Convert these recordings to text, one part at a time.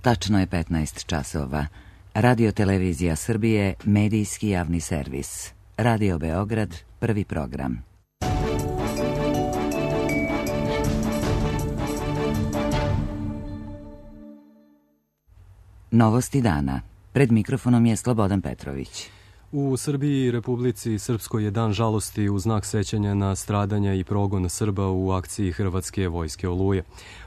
Tačno je 15 časova. Radio Televizija Srbije, medijski javni servis. Radio Beograd, prvi program. Novosti dana. Pred mikrofonom je Slobodan Petrović. U Srbiji i Republici Srpskoj je dan žalosti u znak sećanja na stradanja i progon Srba u akciji Hrvatske vojske Oluje.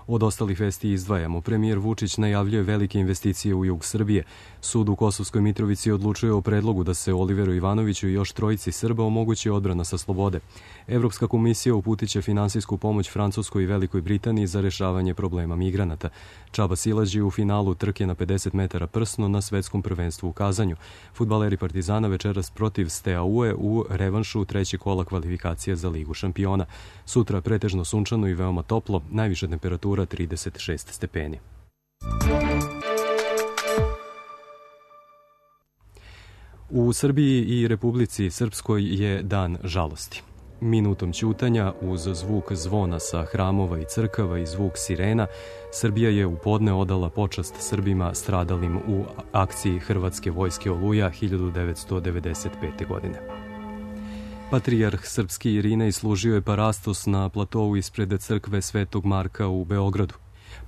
Od ostalih vesti izdvajamo. Premijer Vučić najavljuje velike investicije u jug Srbije. Sud u Kosovskoj Mitrovici odlučuje o predlogu da se Oliveru Ivanoviću i još trojici Srba omogući odbrana sa slobode. Evropska komisija uputiće finansijsku pomoć Francuskoj i Velikoj Britaniji za rešavanje problema migranata. Čaba silađi u finalu trke na 50 metara prsno na svetskom prvenstvu u Kazanju. Fudbaleri Partizana večeras protiv Steaue u revanšu trećeg kola kvalifikacija za Ligu šampiona. Sutra pretežno sunčano i veoma toplo, najviša temperatura 36 stepeni. U Srbiji i Republici Srpskoj je dan žalosti. Minutom ćutanja uz zvuk zvona sa hramova i crkava i zvuk sirena, Srbija je u podne odala počast Srbima stradalim u akciji Hrvatske vojske Oluja 1995. godine. Patrijarh srpski Irinej služio je parastos na platovu ispred crkve Svetog Marka u Beogradu.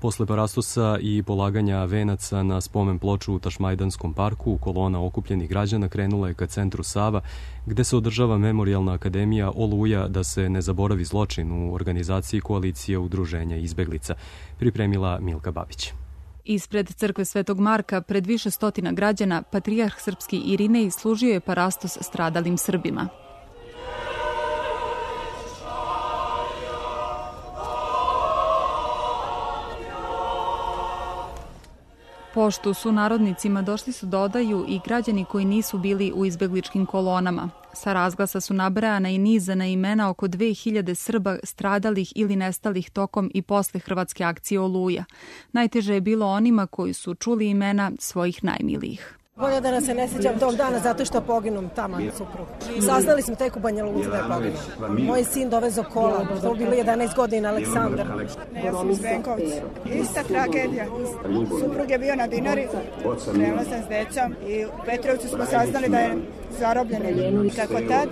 Posle parastosa i polaganja venaca na spomen ploču u Tašmajdanskom parku, kolona okupljenih građana krenula je ka centru Sava, gde se održava Memorijalna akademija Oluja da se ne zaboravi zločin u organizaciji Koalicije udruženja izbeglica, pripremila Milka Babić. Ispred crkve Svetog Marka, pred više stotina građana, patrijarh srpski Irinej služio je parastos stradalim Srbima. Poštu su narodnicima došli su da odaju i građani koji nisu bili u izbegličkim kolonama. Sa razglasa su nabrajana i nizana imena oko 2000 Srba stradalih ili nestalih tokom i posle Hrvatske akcije Oluja. Najteže je bilo onima koji su čuli imena svojih najmilijih. Bolje da nas se ne sjećam tog dana zato što poginum tamo suprug. Saznali smo tek u Banja Luci da je poginuo. Moj sin dovezo kola, to je bilo 11 godina, Aleksandar. Ja sam iz Benkovca. Ista tragedija. Suprug je bio na Dinari, krenula sam s decom i u Petrovcu smo saznali da je zarobljen. Kako tad,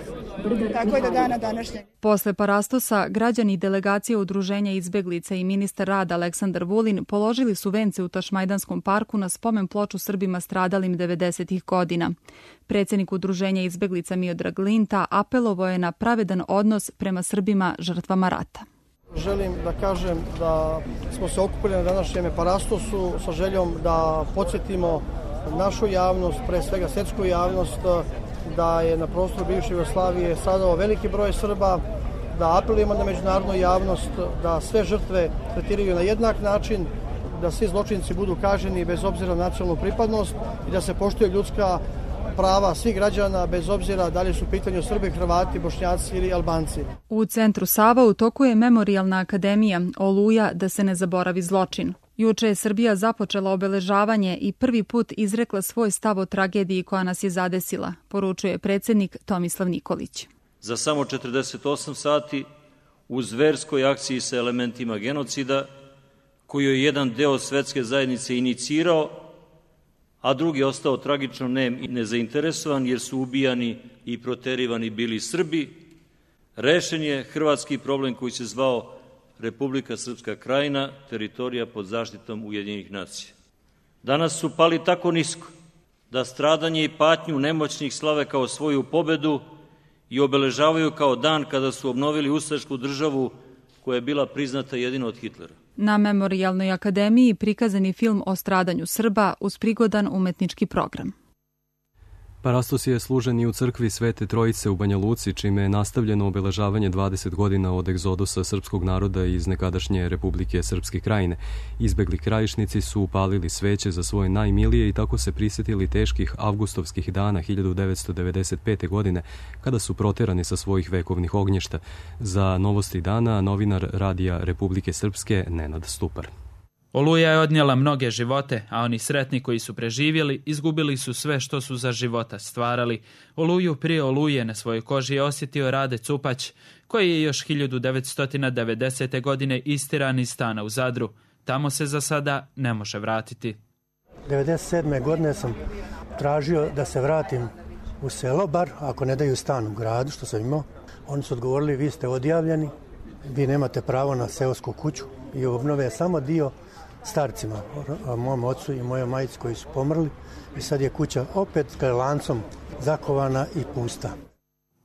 tako i do dana današnjeg. Posle parastosa, građani delegacije udruženja izbeglica i ministar rada Aleksandar Vulin položili su vence u Tašmajdanskom parku na spomen ploču Srbima stradalim 90-ih godina. Predsjednik udruženja izbeglica Miodrag Linta apelovao je na pravedan odnos prema Srbima žrtvama rata. Želim da kažem da smo se okupili na današnjem parastosu sa željom da podsjetimo našu javnost, pre svega svjetsku javnost, da je na prostoru bivše Jugoslavije stradao veliki broj Srba, da apelujemo na međunarodnu javnost, da sve žrtve tretiraju na jednak način, da svi zločinci budu kažnjeni bez obzira na nacionalnu pripadnost i da se poštuje ljudska prava svih građana bez obzira da li su u pitanju Srbi, Hrvati, Bošnjaci ili Albanci. U centru Sava u toku je Memorijalna akademija Oluja da se ne zaboravi zločin. Juče je Srbija započela obeležavanje i prvi put izrekla svoj stav o tragediji koja nas je zadesila, poručuje predsjednik Tomislav Nikolić. Za samo 48 sati u zverskoj akciji sa elementima genocida, koju je jedan deo svetske zajednice inicirao, a drugi ostao tragično nem i nezainteresovan jer su ubijani i proterivani bili Srbi, rešen je hrvatski problem koji se zvao Republika Srpska Krajina, teritorija pod zaštitom Ujedinjenih nacija. Danas su pali tako nisko da stradanje i patnju nemoćnih slave kao svoju pobedu i obeležavaju kao dan kada su obnovili ustašku državu koja je bila priznata jedino od Hitlera. Na Memorijalnoj akademiji prikazan je film o stradanju Srba uz prigodan umetnički program. Parastos je služen i u crkvi Svete Trojice u Banja Luci, čime je nastavljeno obeležavanje 20 godina od egzodusa srpskog naroda iz nekadašnje Republike Srpske Krajine. Izbegli krajišnici su upalili sveće za svoje najmilije i tako se prisjetili teških avgustovskih dana 1995. godine, kada su proterani sa svojih vekovnih ognjišta. Za Novosti dana novinar Radija Republike Srpske Nenad Stupar. Oluja je odnijela mnoge živote, a oni sretni koji su preživjeli izgubili su sve što su za života stvarali. Oluju prije Oluje na svojoj koži je osjetio Rade Cupać, koji je još 1990. godine istiran iz stana u Zadru. Tamo se za sada ne može vratiti. 1997. godine sam tražio da se vratim u selo, bar ako ne daju stan u gradu, što sam imao. Oni su odgovorili, vi ste odjavljeni, vi nemate pravo na seosku kuću i obnove samo dio starcima, mom ocu i mojoj majici koji su pomrli. I sad je kuća opet lancom zakovana i pusta.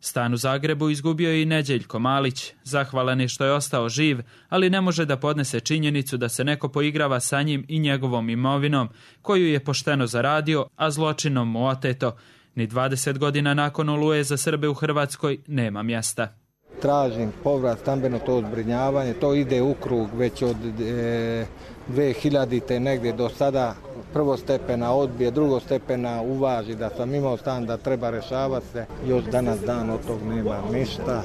Stan u Zagrebu izgubio je i Neđeljko Malić. Zahvalan je što je ostao živ, ali ne može da podnese činjenicu da se neko poigrava sa njim i njegovom imovinom, koju je pošteno zaradio, a zločinom mu oteto. Ni 20 godina nakon Oluje za Srbe u Hrvatskoj nema mjesta. Tražim povrat, stambeno to zbrinjavanje, to ide u krug već od 2000. negdje do sada. Prvostepena odbije, drugostepena uvaži da sam imao stan, da treba rešavati se. Još danas dan od tog nema ništa.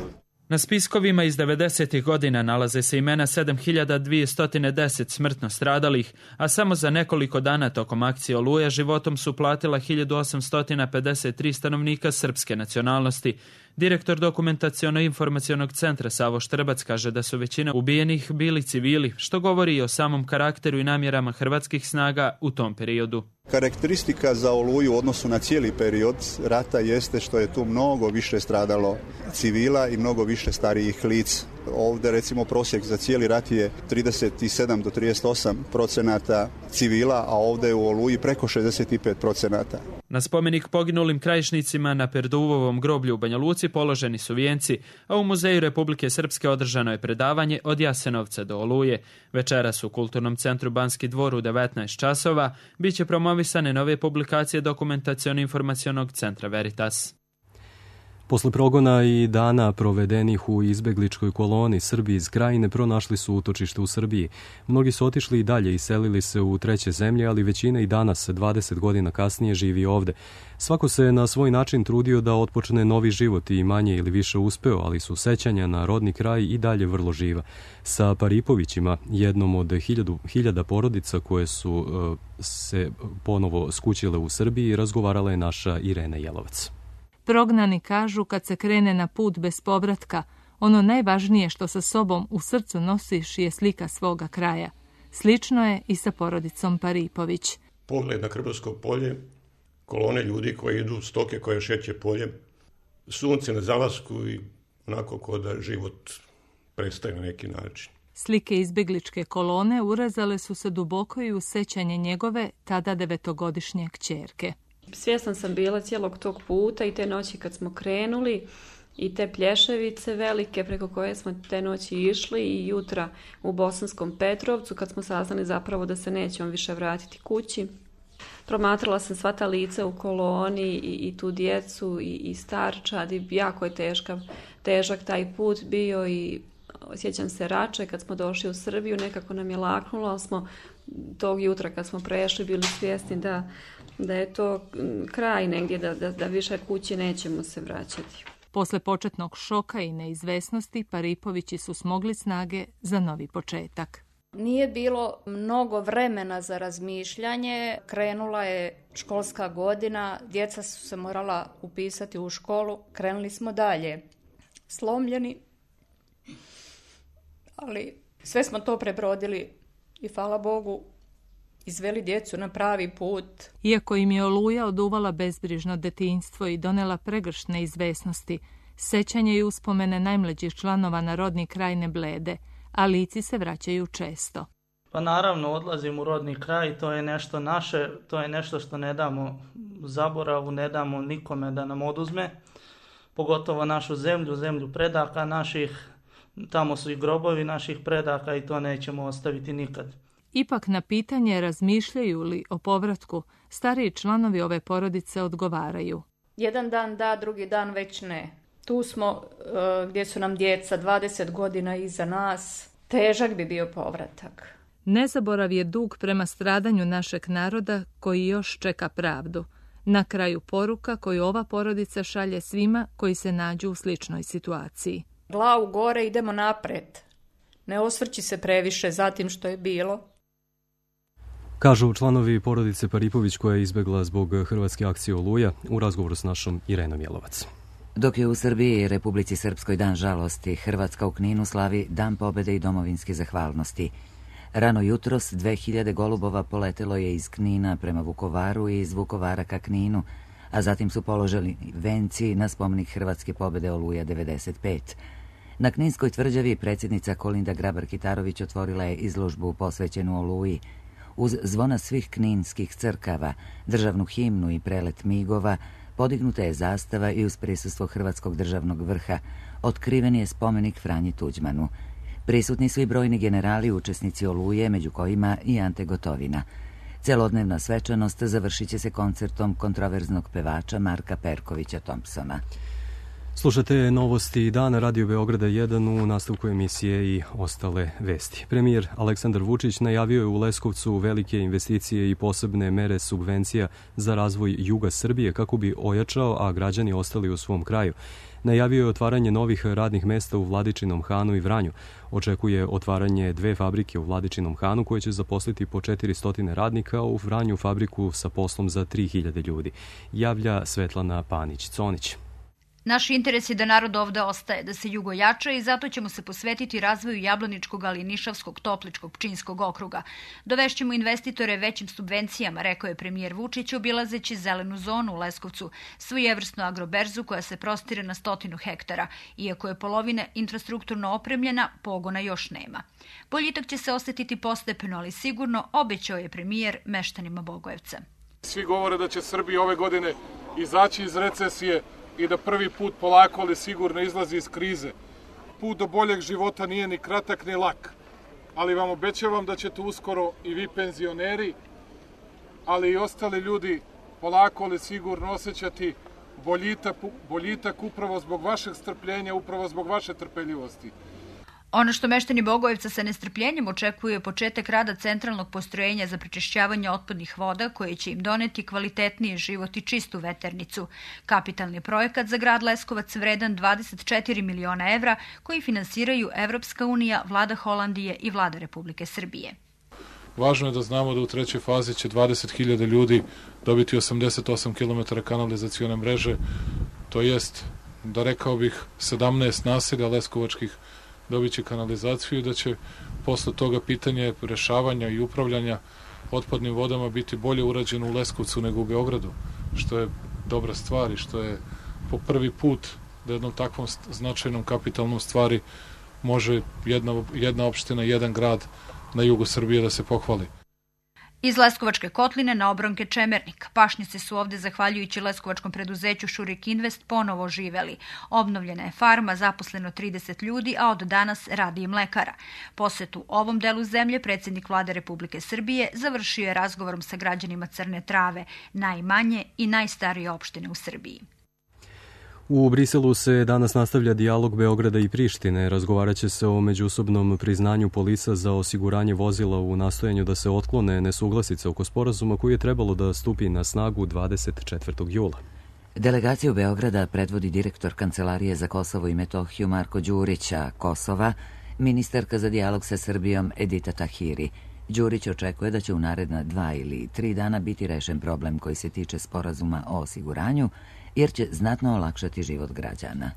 Na spiskovima iz 90. godina nalaze se imena 7210 smrtno stradalih, a samo za nekoliko dana tokom akcije Oluja životom su platila 1853 stanovnika srpske nacionalnosti. Direktor Dokumentaciono-informacionog centra Savo Štrbac kaže da su većina ubijenih bili civili, što govori i o samom karakteru i namjerama hrvatskih snaga u tom periodu. Karakteristika za Oluju u odnosu na cijeli period rata jeste što je tu mnogo više stradalo civila i mnogo više starijih lica. Ovdje recimo prosjek za cijeli rat je 37 do 38% civila, a ovdje je u Oluji preko 65%. Na spomenik poginulim krajišnicima na Perduvovom groblju u Banja Luci položeni su vijenci, a u Muzeju Republike Srpske održano je predavanje od Jasenovca do Oluje. Večeras u Kulturnom centru Banski dvor u 19 časova biće promovisane nove publikacije Dokumentaciono-informacionog centra Veritas. Posle progona i dana provedenih u izbegličkoj koloni, Srbi iz Krajine pronašli su utočište u Srbiji. Mnogi su otišli i dalje i selili se u treće zemlje, ali većina i danas, 20 godina kasnije, živi ovde. Svako se na svoj način trudio da otpočne novi život i manje ili više uspeo, ali su sećanja na rodni kraj i dalje vrlo živa. Sa Paripovićima, jednom od hiljada porodica koje su se ponovo skućile u Srbiji, razgovarala je naša Irena Jelovac. Prognani kažu kad se krene na put bez povratka, ono najvažnije što sa sobom u srcu nosiš je slika svoga kraja. Slično je i sa porodicom Paripović. Pogled na Krbovsko polje, kolone ljudi koji idu, stoke koje šeće polje, sunce na zalasku i onako ko da život prestaje na neki način. Slike izbegličke kolone urezale su se duboko i u sećanje njegove tada 9-godišnje kćerke. Svjesna sam bila cijelog tog puta i te noći kad smo krenuli i te plješevice velike preko koje smo te noći išli i jutra u Bosanskom Petrovcu kad smo saznali zapravo da se nećemo više vratiti kući. Promatrala sam sva ta lica u koloni i tu djecu i starčad i jako je težak taj put bio i sjećam se Rače kad smo došli u Srbiju, nekako nam je laknulo, ali smo tog jutra kad smo prešli bili svjesni da je to kraj negdje, da više kući nećemo se vraćati. Posle početnog šoka i neizvesnosti, Paripovići su smogli snage za novi početak. Nije bilo mnogo vremena za razmišljanje, krenula je školska godina, djeca su se morala upisati u školu, krenuli smo dalje. Slomljeni, ali sve smo to prebrodili i hvala Bogu izveli djecu na pravi put. Iako im je Oluja oduvala bezbrižno detinjstvo i donela pregršt neizvesnosti, sećanje i uspomene najmlađih članova na rodni kraj ne blede, a lici se vraćaju često. Pa naravno, odlazim u rodni kraj, to je nešto naše, to je nešto što ne damo zaboravu, ne damo nikome da nam oduzme, pogotovo našu zemlju, zemlju predaka naših, tamo su i grobovi naših predaka i to nećemo ostaviti nikad. Ipak na pitanje razmišljaju li o povratku, stariji članovi ove porodice odgovaraju. Jedan dan da, drugi dan već ne. Tu smo gdje su nam djeca 20 godina iza nas. Težak bi bio povratak. Nezaborav je dug prema stradanju našeg naroda koji još čeka pravdu. Na kraju poruka koju ova porodica šalje svima koji se nađu u sličnoj situaciji. Glavu gore, idemo napred. Ne osvrći se previše za tim što je bilo. Kažu članovi porodice Paripović koja je izbegla zbog hrvatske akcije Oluja u razgovoru s našom Irenom Jelovac. Dok je u Srbiji i Republici Srpskoj dan žalosti, Hrvatska u Kninu slavi Dan pobjede i domovinske zahvalnosti. Rano jutros 2000 golubova poletelo je iz Knina prema Vukovaru i iz Vukovara ka Kninu, a zatim su položili venci na spomenik Hrvatske pobjede Oluja 95. Na Kninskoj tvrđavi predsjednica Kolinda Grabar-Kitarović otvorila je izložbu posvećenu Oluji. Uz zvona svih kninskih crkava, državnu himnu i prelet migova, podignuta je zastava i uz prisustvo Hrvatskog državnog vrha otkriven je spomenik Franji Tuđmanu. Prisutni su i brojni generali učesnici Oluje, među kojima i Ante Gotovina. Celodnevna svečanost završit će se koncertom kontroverznog pevača Marka Perkovića Thompsona. Slušate novosti dana Radio Beograda 1 u nastavku emisije i ostale vesti. Premijer Aleksandar Vučić najavio je u Leskovcu velike investicije i posebne mere subvencija za razvoj juga Srbije kako bi ojačao, a građani ostali u svom kraju. Najavio je otvaranje novih radnih mesta u Vladičinom Hanu i Vranju. Očekuje otvaranje 2 fabrike u Vladičinom Hanu koje će zaposliti po 400 radnika, a u Vranju fabriku sa poslom za 3000 ljudi. Javlja Svetlana Panić-Conić. Naš interes je da narod ovde ostaje, da se jugo jača i zato ćemo se posvetiti razvoju Jablaničkog, ali i Nišavskog, Topličkog, Pčinjskog okruga. Dovešćemo investitore većim subvencijama, rekao je premijer Vučić, obilazeći zelenu zonu u Leskovcu, svojevrsnu agroberzu koja se prostire na 100 hektara. Iako je polovina infrastrukturno opremljena, pogona još nema. Boljitak će se osetiti postepeno, ali sigurno, obećao je premijer meštanima Bogojevca. Svi govore da će Srbija ove godine izaći iz recesije i da prvi put polako, ali sigurno izlazi iz krize. Put do boljeg života nije ni kratak ni lak, ali vam obećavam da ćete uskoro i vi penzioneri, ali i ostali ljudi polako, ali sigurno osjećati boljitak upravo zbog vašeg strpljenja, upravo zbog vaše trpeljivosti. Ono što meštani Bogojevca sa nestrpljenjem očekuje je početak rada centralnog postrojenja za prečišćavanje otpadnih voda koje će im doneti kvalitetniji život i čistu veternicu. Kapitalni projekat za grad Leskovac vredan 24 miliona evra koji finansiraju Evropska unija, vlada Holandije i vlada Republike Srbije. Važno je da znamo da u trećoj fazi će 20.000 ljudi dobiti 88 km kanalizacione mreže, to jest, da rekao bih, 17 naselja leskovačkih dobit će kanalizaciju i da će posle toga pitanje rešavanja i upravljanja otpadnim vodama biti bolje urađeno u Leskovcu nego u Beogradu, što je dobra stvar i što je po prvi put da jednom takvom značajnom kapitalnom stvari može jedna opština, jedan grad na jugu Srbije da se pohvali. Iz Leskovačke kotline na obronke Čemernik. Pašnjaci su ovde, zahvaljujući leskovačkom preduzeću Šurik Invest, ponovo živeli. Obnovljena je farma, zaposleno 30 ljudi, a od danas radi i mlekara. Posetu ovom delu zemlje predsjednik vlade Republike Srbije završio je razgovorom sa građanima Crne Trave, najmanje i najstarije opštine u Srbiji. U Briselu se danas nastavlja dijalog Beograda i Prištine. Razgovarat će se o međusobnom priznanju polisa za osiguranje vozila u nastojanju da se otklone nesuglasice oko sporazuma koji je trebalo da stupi na snagu 24. jula. Delegaciju Beograda predvodi direktor Kancelarije za Kosovo i Metohiju Marko Đurić, a Kosova ministarka za dijalog sa Srbijom Edita Tahiri. Đurić očekuje da će u naredna 2 ili 3 dana biti rešen problem koji se tiče sporazuma o osiguranju, jer će znatno olakšati život građana.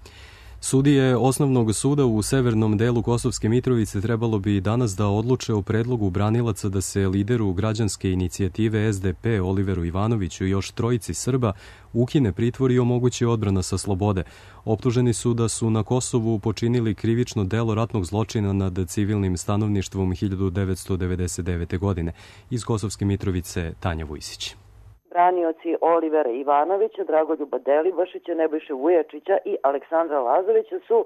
Sudije Osnovnog suda u severnom delu Kosovske Mitrovice trebalo bi danas da odluče o predlogu branilaca da se lideru građanske inicijative SDP Oliveru Ivanoviću i još 3 Srba ukine pritvor i omogući odbrana sa slobode. Optuženi su da su na Kosovu počinili krivično delo ratnog zločina nad civilnim stanovništvom 1999. godine. Iz Kosovske Mitrovice Tanja Vujsić. Branioci Olivera Ivanovića, Dragoljuba Delibašića, Nebojše Vujačića i Aleksandra Lazovića su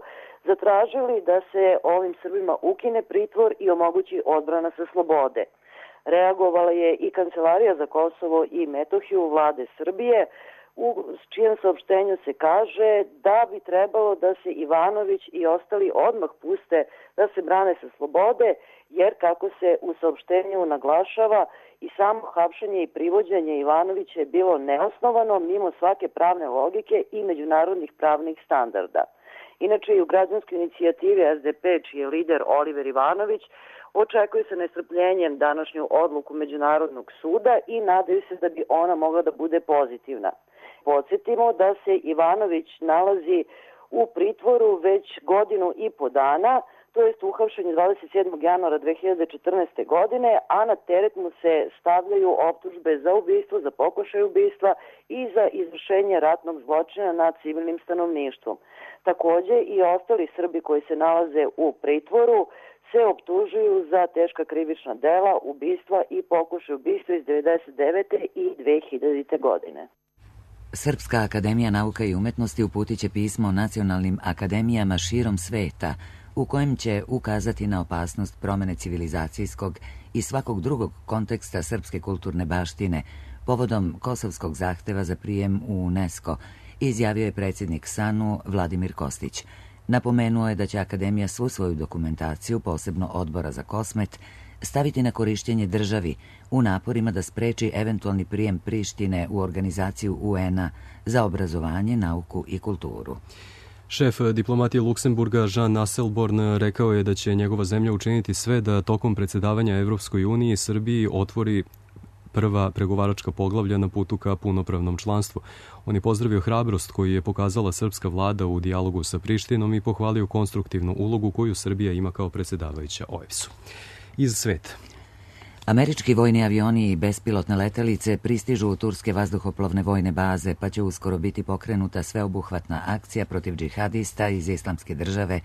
zatražili da se ovim Srbima ukine pritvor i omogući odbrana sa slobode. Reagovala je i Kancelarija za Kosovo i Metohiju vlade Srbije, u čijem saopštenju se kaže da bi trebalo da se Ivanović i ostali odmah puste da se brane sa slobode, jer kako se u saopštenju naglašava, i samo hapšenje i privođenje Ivanovića je bilo neosnovano mimo svake pravne logike i međunarodnih pravnih standarda. Inače i u građanskoj inicijativi SDP, čiji je lider Oliver Ivanović, očekuje se nestrpljenjem današnju odluku Međunarodnog suda i nadaju se da bi ona mogla da bude pozitivna. Podsjetimo da se Ivanović nalazi u pritvoru već 1,5 godina to jest uhapšen je 27. januara 2014. godine, a na teret mu se stavljaju optužbe za ubistvo, za pokušaj ubistva i za izvršenje ratnog zločina nad civilnim stanovništvom. Takođe i ostali Srbi koji se nalaze u pritvoru se optužuju za teška krivična dela, ubistva i pokušaj ubistva iz 1999. i 2000. godine. Srpska akademija nauka i umetnosti uputit će pismo nacionalnim akademijama širom sveta u kojem će ukazati na opasnost promene civilizacijskog i svakog drugog konteksta srpske kulturne baštine povodom kosovskog zahteva za prijem u UNESCO, izjavio je predsjednik SANU Vladimir Kostić. Napomenuo je da će akademija svu svoju dokumentaciju, posebno odbora za Kosmet, staviti na korištenje državi u naporima da spreči eventualni prijem Prištine u organizaciju UN-a za obrazovanje, nauku i kulturu. Šef diplomatije Luksemburga Jean Asselborn rekao je da će njegova zemlja učiniti sve da tokom predsjedavanja Evropskoj uniji Srbiji otvori prva pregovaračka poglavlja na putu ka punopravnom članstvu. On je pozdravio hrabrost koju je pokazala srpska vlada u dijalogu sa Prištinom i pohvalio konstruktivnu ulogu koju Srbija ima kao predsjedavajuća OEBS-u. Iz sveta. Američki vojni avioni i bespilotne letelice pristižu u turske vazduhoplovne vojne baze, pa će uskoro biti pokrenuta sveobuhvatna akcija protiv džihadista iz Islamske države,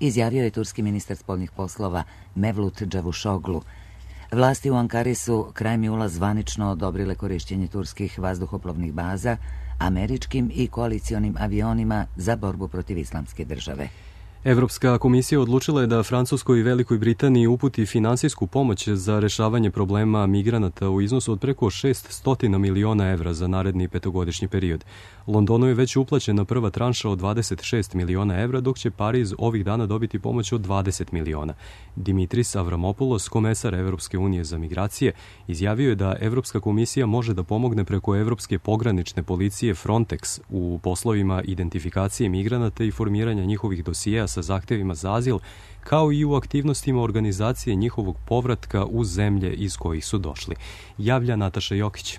izjavio je turski ministar spoljnih poslova Mevlut Cavusoglu. Vlasti u Ankari su krajem jula zvanično odobrile korišćenje turskih vazduhoplovnih baza američkim i koalicionim avionima za borbu protiv Islamske države. Evropska komisija odlučila je da Francuskoj i Velikoj Britaniji uputi finansijsku pomoć za rešavanje problema migranata u iznosu od preko 600 miliona evra za naredni petogodišnji period. Londonu je već uplaćena prva tranša od 26 miliona evra, dok će Pariz ovih dana dobiti pomoć od 20 miliona. Dimitris Avramopoulos, komesar Evropske unije za migracije, izjavio je da Evropska komisija može da pomogne preko Evropske pogranične policije Frontex u poslovima identifikacije migranata i formiranja njihovih dosijeja sa zahtevima za azil, kao i u aktivnostima organizacije njihovog povratka u zemlje iz kojih su došli. Javlja Nataša Jokić.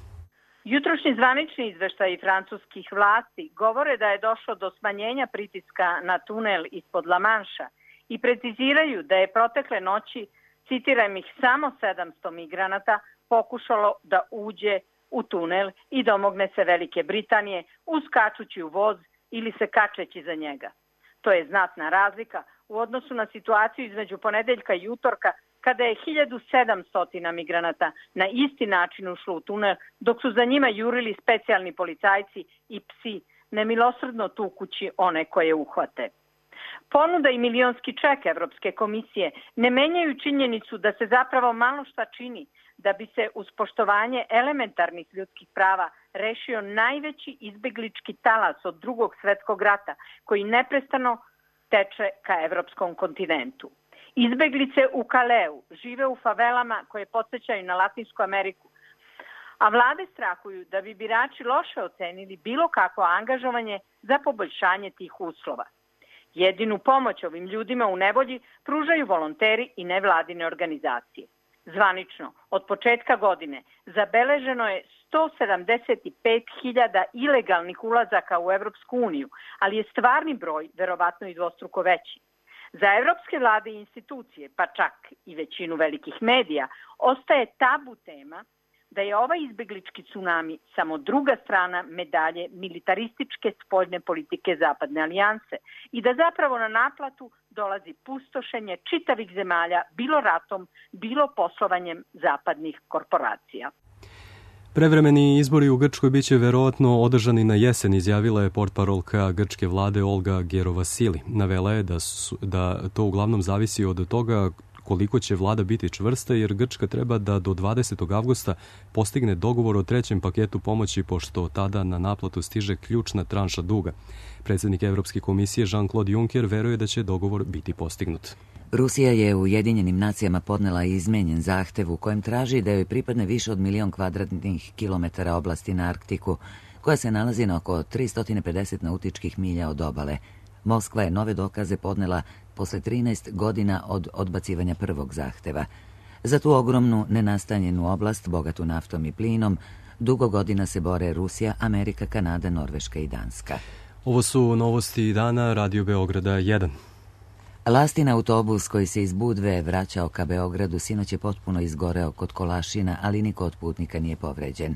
Jutrošnji zvanični izveštaji francuskih vlasti govore da je došlo do smanjenja pritiska na tunel ispod La Manša i preciziraju da je protekle noći, citiram ih, samo 700 migranata pokušalo da uđe u tunel i domogne se Velike Britanije uskačući u voz ili se kačeći za njega. To je znatna razlika u odnosu na situaciju između ponedeljka i utorka, kada je 1700 migranata na isti način ušlo u tunel, dok su za njima jurili specijalni policajci i psi, nemilosrdno tukući one koje uhvate. Ponuda i milionski ček Evropske komisije ne menjaju činjenicu da se zapravo malo šta čini da bi se uz poštovanje elementarnih ljudskih prava rešio najveći izbeglički talas od Drugog svetskog rata, koji neprestano teče ka evropskom kontinentu. Izbeglice u Kaleu žive u favelama koje podsjećaju na Latinsku Ameriku, a vlade strahuju da bi birači loše ocenili bilo kakvo angažovanje za poboljšanje tih uslova. Jedinu pomoć ovim ljudima u nevolji pružaju volonteri i nevladine organizacije. Zvanično, od početka godine zabeleženo je 175.000 ilegalnih ulazaka u Evropsku uniju, ali je stvarni broj verovatno i dvostruko veći. Za evropske vlade i institucije, pa čak i većinu velikih medija, ostaje tabu tema da je ovaj izbeglički tsunami samo druga strana medalje militarističke spoljne politike Zapadne alijanse i da zapravo na naplatu dolazi pustošenje čitavih zemalja, bilo ratom, bilo poslovanjem zapadnih korporacija. Prevremeni izbori u Grčkoj biće verovatno održani na jesen, izjavila je portparolka grčke vlade Olga Gerovasili. Navela je da to uglavnom zavisi od toga koliko će vlada biti čvrsta, jer Grčka treba da do 20. avgusta postigne dogovor o trećem paketu pomoći, pošto tada na naplatu stiže ključna tranša duga. Predsjednik Evropske komisije Jean-Claude Juncker veruje da će dogovor biti postignut. Rusija je u Ujedinjenim nacijama podnela izmenjen zahtev u kojem traži da joj pripadne više od 1.000.000 kvadratnih kilometara oblasti na Arktiku, koja se nalazi na oko 350 nautičkih milja od obale. Moskva je nove dokaze podnela posle 13 godina od odbacivanja prvog zahteva. Za tu ogromnu nenastanjenu oblast, bogatu naftom i plinom, dugo godina se bore Rusija, Amerika, Kanada, Norveška i Danska. Ovo su novosti dana Radio Beograda 1. Lastin autobus koji se iz Budve vraćao ka Beogradu sinoć je potpuno izgoreo kod Kolašina, ali niko od putnika nije povređen.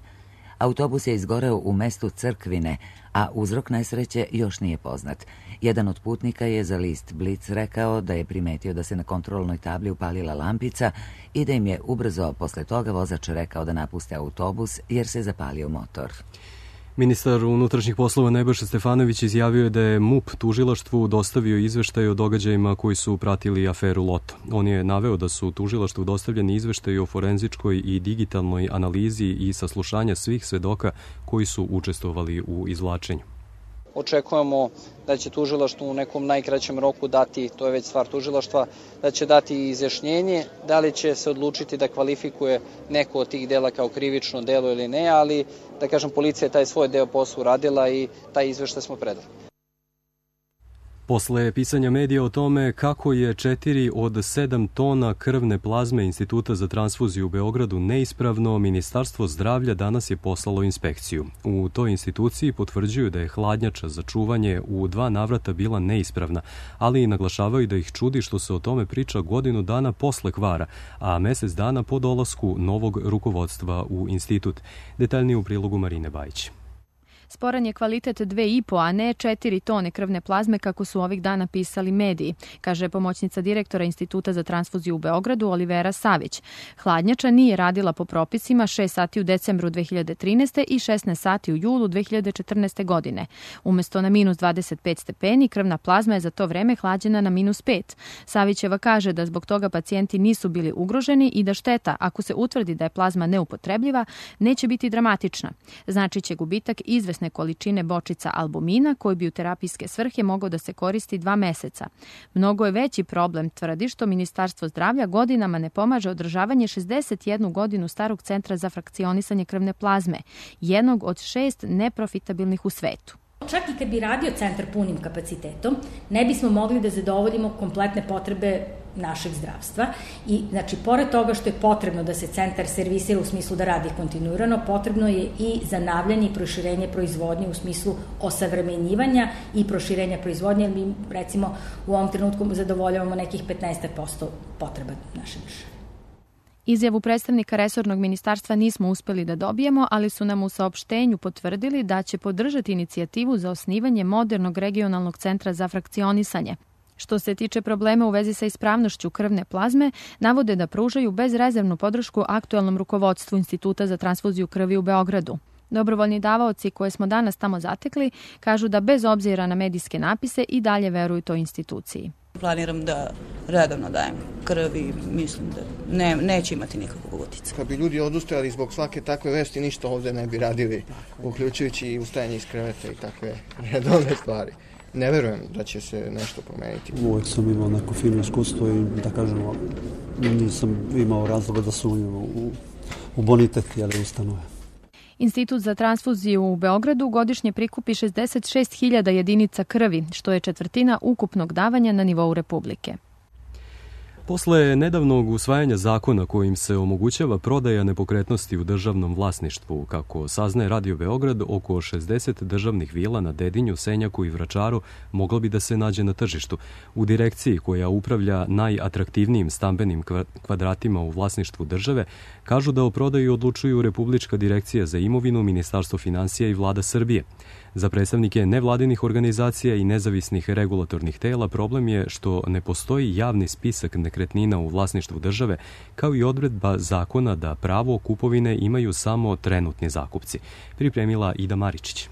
Autobus je izgoreo u mestu Crkvine, a uzrok nesreće još nije poznat. Jedan od putnika je za list Blic rekao da je primetio da se na kontrolnoj tabli upalila lampica i da im je ubrzo posle toga vozač rekao da napuste autobus jer se zapalio motor. Ministar unutrašnjih poslova Nebojša Stefanović izjavio je da je MUP tužilaštvu dostavio izveštaj o događajima koji su pratili aferu Loto. On je naveo da su tužilaštvu dostavljeni izveštaji o forenzičkoj i digitalnoj analizi i saslušanja svih svedoka koji su učestvovali u izvlačenju. Očekujemo da će tužilaštvo u nekom najkraćem roku dati, to je već stvar tužilaštva, da će dati izjašnjenje, da li će se odlučiti da kvalifikuje neko od tih dela kao krivično delo ili ne, ali da kažem policija je taj svoj deo posla uradila i taj izveštaj smo predali. Posle pisanja medija o tome kako je 4 od 7 tona krvne plazme Instituta za transfuziju u Beogradu neispravno, Ministarstvo zdravlja danas je poslalo inspekciju. U toj instituciji potvrđuju da je hladnjača za čuvanje u 2 navrata bila neispravna, ali i naglašavaju da ih čudi što se o tome priča godinu dana posle kvara, a mesec dana po dolasku novog rukovodstva u institut. Detaljnije u prilogu Marine Bajić. Sporan je kvalitet 2,5, a ne 4 tone krvne plazme kako su ovih dana pisali mediji, kaže pomoćnica direktora Instituta za transfuziju u Beogradu Olivera Savić. Hladnjača nije radila po propisima 6 sati u decembru 2013. i 16 sati u julu 2014. godine. Umesto na minus 25 stepeni, krvna plazma je za to vreme hlađena na minus 5. Savićeva kaže da zbog toga pacijenti nisu bili ugroženi i da šteta, ako se utvrdi da je plazma neupotrebljiva, neće biti dramatična. Znači će gubitak izvesne količine bočica albumina koji bi u terapijske svrhe mogao da se koristi 2 meseca. Mnogo je veći problem, tvrdi, što Ministarstvo zdravlja godinama ne pomaže održavanje 61 godinu starog centra za frakcionisanje krvne plazme, jednog od 6 neprofitabilnih u svetu. Čak i kad bi radio centar punim kapacitetom, ne bismo mogli da zadovoljimo kompletne potrebe našeg zdravstva i znači pored toga što je potrebno da se centar servisira u smislu da radi kontinuirano, potrebno je i zanavljanje i proširenje proizvodnje u smislu osavremenjivanja i proširenja proizvodnje, jer mi recimo u ovom trenutku zadovoljavamo nekih 15% potreba naše države. Izjavu predstavnika resornog ministarstva nismo uspeli da dobijemo, ali su nam u saopštenju potvrdili da će podržati inicijativu za osnivanje modernog regionalnog centra za frakcionisanje. Što se tiče problema u vezi sa ispravnošću krvne plazme, navode da pružaju bezrezervnu podršku aktuelnom rukovodstvu Instituta za transfuziju krvi u Beogradu. Dobrovoljni davaoci koje smo danas tamo zatekli kažu da bez obzira na medijske napise i dalje veruju toj instituciji. Planiram da redovno dajem krv i mislim da neće imati nikakvog utjecaja. Kad bi ljudi odustajali zbog svake takve vesti, ništa ovdje ne bi radili, uključujući i ustajanje iz kreveta i takve redovne stvari. Ne verujem da će se nešto promeniti. Uvijek sam imao neko fino iskustvo i da kažemo, nisam imao razloga da sumnjam u bonitet ustanove. Institut za transfuziju u Beogradu godišnje prikupi 66.000 jedinica krvi, što je 1/4 ukupnog davanja na nivou Republike. Posle nedavnog usvajanja zakona kojim se omogućava prodaja nepokretnosti u državnom vlasništvu, kako saznaje Radio Beograd, oko 60 državnih vila na Dedinju, Senjaku i Vračaru moglo bi da se nađe na tržištu. U direkciji koja upravlja najatraktivnijim stambenim kvadratima u vlasništvu države, kažu da o prodaju odlučuju Republička direkcija za imovinu, Ministarstvo finansija i Vlada Srbije. Za predstavnike nevladinih organizacija i nezavisnih regulatornih tela problem je što ne postoji javni spisak nekretnina u vlasništvu države, kao i odredba zakona da pravo kupovine imaju samo trenutni zakupci. Pripremila Ida Maričić.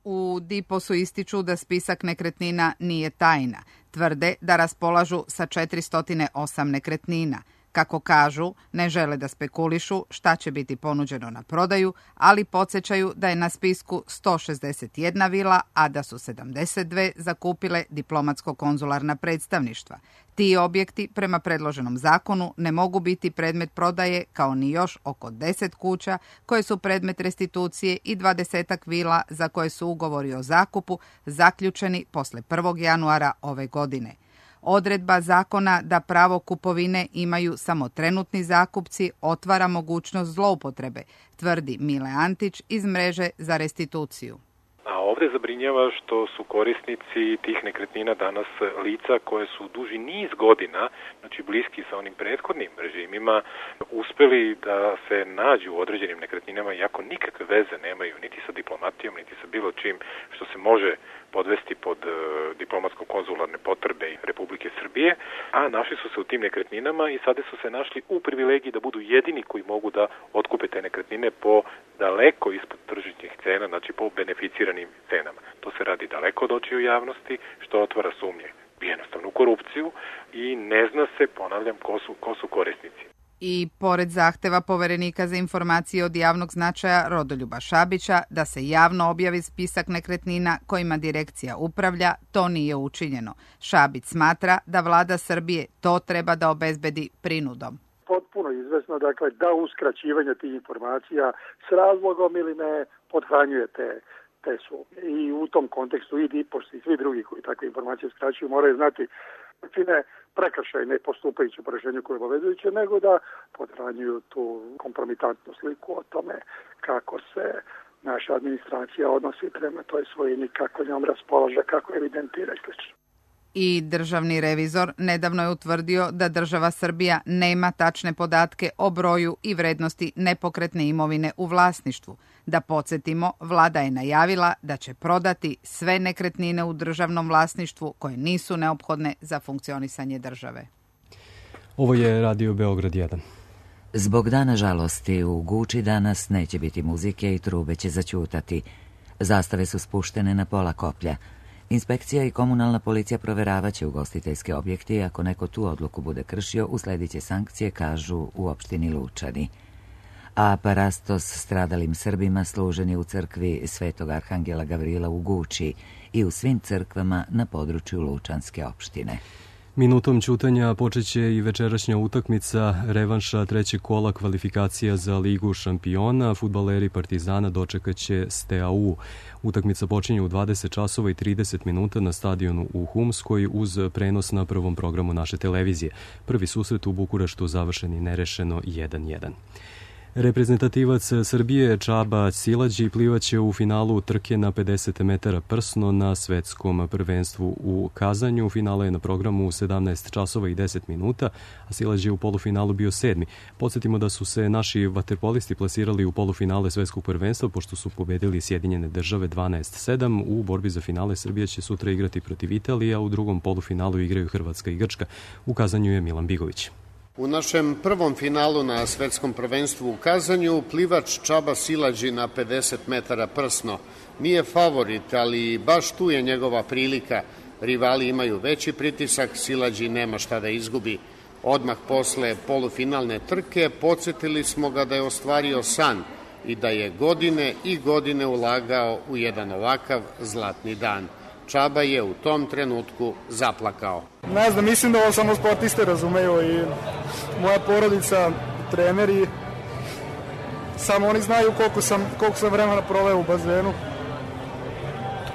U DIPOS-u ističu da spisak nekretnina nije tajna. Tvrde da raspolažu sa 408 nekretnina. Kako kažu, ne žele da spekulišu šta će biti ponuđeno na prodaju, ali podsjećaju da je na spisku 161 vila, a da su 72 zakupile diplomatsko-konzularna predstavništva. Ti objekti, prema predloženom zakonu, ne mogu biti predmet prodaje, kao ni još oko 10 kuća koje su predmet restitucije i 20 vila za koje su ugovori o zakupu zaključeni posle 1. januara ove godine. Odredba zakona da pravo kupovine imaju samo trenutni zakupci otvara mogućnost zloupotrebe, tvrdi Mile Antić iz mreže za restituciju. A ovde zabrinjava što su korisnici tih nekretnina danas lica koje su duži niz godina, znači bliski sa onim prethodnim režimima, uspeli da se nađu u određenim nekretninama iako nikakve veze nemaju niti sa diplomatijom, niti sa bilo čim što se može podvesti pod diplomatsko-konzularne potrebe Republike Srbije, a našli su se u tim nekretninama i sada su se našli u privilegiji da budu jedini koji mogu da otkupe te nekretnine po daleko ispod tržišnih cena, znači po beneficiranim cenama. To se radi daleko od očiju javnosti, što otvara sumnje jednostavnu korupciju i ne zna se, ponavljam, ko su korisnici. I pored zahteva Poverenika za informacije od javnog značaja Rodoljuba Šabića da se javno objavi spisak nekretnina kojima direkcija upravlja, to nije učinjeno. Šabić smatra da vlada Srbije to treba da obezbedi prinudom. Potpuno izvesno, dakle, da uskraćivanje tih informacija s razlogom ili ne podhranjuje te sumnje. I u tom kontekstu i DIPOS i svi drugi koji takve informacije uskraćuju moraju znati čine prekršaj ne postupajući po rešenju koje je obavezujuće, nego da podhranjuju tu kompromitantnu sliku o tome kako se naša administracija odnosi prema toj svojini, kako njom raspolaže, kako evidentira i sl. I državni revizor nedavno je utvrdio da država Srbija nema tačne podatke o broju i vrednosti nepokretne imovine u vlasništvu. Da podsjetimo, vlada je najavila da će prodati sve nekretnine u državnom vlasništvu koje nisu neophodne za funkcionisanje države. Ovo je Radio Beograd 1. Zbog dana žalosti u Guči danas neće biti muzike i trube će zaćutati. Zastave su spuštene na pola koplja. Inspekcija i komunalna policija proveravaće ugostiteljske objekte i ako neko tu odluku bude kršio, usledit će sankcije, kažu u opštini Lučani. A parastos stradalim Srbima služen je u crkvi Svetog Arhangela Gavrila u Guči i u svim crkvama na području Lučanske opštine. Minutom ćutanja počeće i večerašnja utakmica revanša trećeg kola kvalifikacija za Ligu šampiona. Fudbaleri Partizana dočekaće Steaua. Utakmica počinje u 20 časova i 30 minuta na stadionu u Humskoj uz prenos na prvom programu naše televizije. Prvi susret u Bukureštu završen i nerešeno 1:1. Reprezentativac Srbije Čaba Silađi plivaće u finalu trke na 50 metara prsno na svetskom prvenstvu u Kazanju. Finale je na programu u 17 časova i 10 minuta, a Silađi je u polufinalu bio 7. Podsjetimo da su se naši vaterpolisti plasirali u polufinale svetskog prvenstva pošto su pobedili Sjedinjene države 12-7. U borbi za finale Srbija će sutra igrati protiv Italije, a u drugom polufinalu igraju Hrvatska i Grčka. U Kazanju je Milan Bigović. U našem prvom finalu na svetskom prvenstvu u Kazanju plivač Čaba Silađi na 50 metara prsno nije favorit, ali baš tu je njegova prilika. Rivali imaju veći pritisak, Silađi nema šta da izgubi. Odmah posle polufinalne trke podsjetili smo ga da je ostvario san i da je godine i godine ulagao u jedan ovakav zlatni dan. Čaba je u tom trenutku zaplakao. Ne znam, mislim da ovo samo sportiste razumeju i moja porodica, treneri, samo oni znaju koliko sam vremena proveo u bazenu.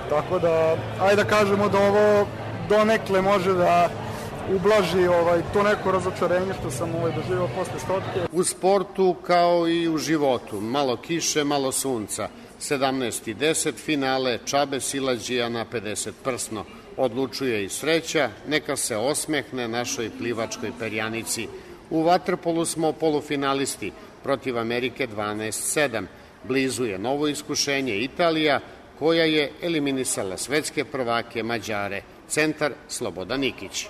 Tako da, ajde da kažemo da ovo donekle može da ublaži to neko razočarenje što sam doživio posle stotke. U sportu kao i u životu, malo kiše, malo sunca. 17:10 finale Čabe Silađija na 50 prsno. Odlučuje i sreća, neka se osmehne našoj plivačkoj perjanici. U vaterpolu smo polufinalisti, protiv Amerike 12-7. Blizu je novo iskušenje Italija, koja je eliminisala svetske prvake Mađare. Centar Slobodan Nikić.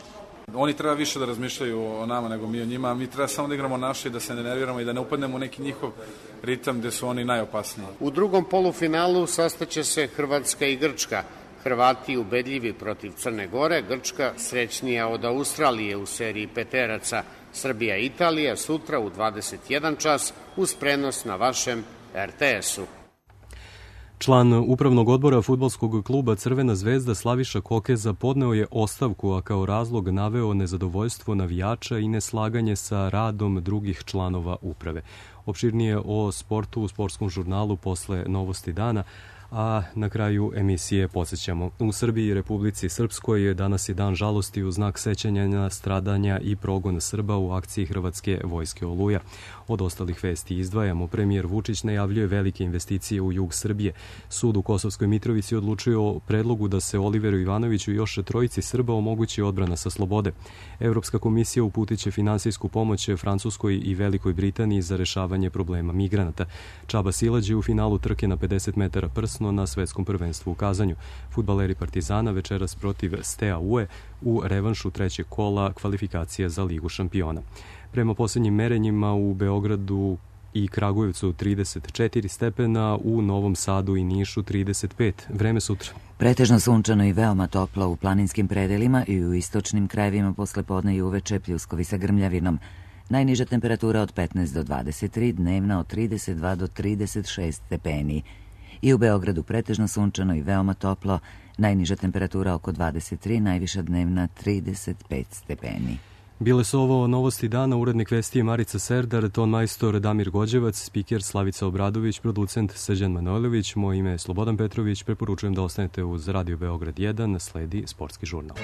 Oni treba više da razmišljaju o nama nego mi o njima, a mi treba samo da igramo naše i da se ne nerviramo i da ne upadnemo u neki njihov ritam gde su oni najopasniji. U drugom polufinalu sastaće se Hrvatska i Grčka. Hrvati ubedljivi protiv Crne Gore, Grčka srećnija od Australije u seriji peteraca. Srbija i Italija sutra u 21 čas uz prenos na vašem RTS-u. Član upravnog odbora fudbalskog kluba Crvena zvezda Slaviša Kokeza podneo je ostavku, a kao razlog naveo nezadovoljstvo navijača i neslaganje sa radom drugih članova uprave. Opširnije o sportu u sportskom žurnalu posle Novosti dana, A na kraju emisije podsjećamo. U Srbiji i Republici Srpskoj danas je dan žalosti u znak sećanja na stradanja i progon Srba u akciji Hrvatske vojske Oluja. Od ostalih vesti izdvajamo. Premijer Vučić najavljuje velike investicije u jug Srbije. Sud u Kosovskoj Mitrovici odlučio o predlogu da se Oliveru Ivanoviću i još trojici Srba omogući odbrana sa slobode. Evropska komisija uputiće finansijsku pomoć Francuskoj i Velikoj Britaniji za rešavanje problema migranata. Čaba Silađi u finalu trke na 50 metara prsno na svetskom prvenstvu u Kazanju. Fudbaleri Partizana večeras protiv Steaua Ue u revanšu trećeg kola kvalifikacija za Ligu šampiona. Prema posljednjim merenjima u Beogradu i Kragujevcu 34 stepena, u Novom Sadu i Nišu 35. Vreme sutra. Pretežno sunčano i veoma toplo u planinskim predelima i u istočnim krajevima posle podne i uveče, pljuskovi sa grmljavinom. Najniža temperatura od 15 do 23, dnevna od 32 do 36 stepeni. I u Beogradu pretežno sunčano i veoma toplo, najniža temperatura oko 23, najviša dnevna 35 stepeni. Bile su ovo novosti dana, urednik vesti Marica Serdar, ton majstor Damir Gođevac, spiker Slavica Obradović, producent Srđan Manojlović, moje ime je Slobodan Petrović, preporučujem da ostanete uz Radio Beograd 1, sledi sportski žurnal.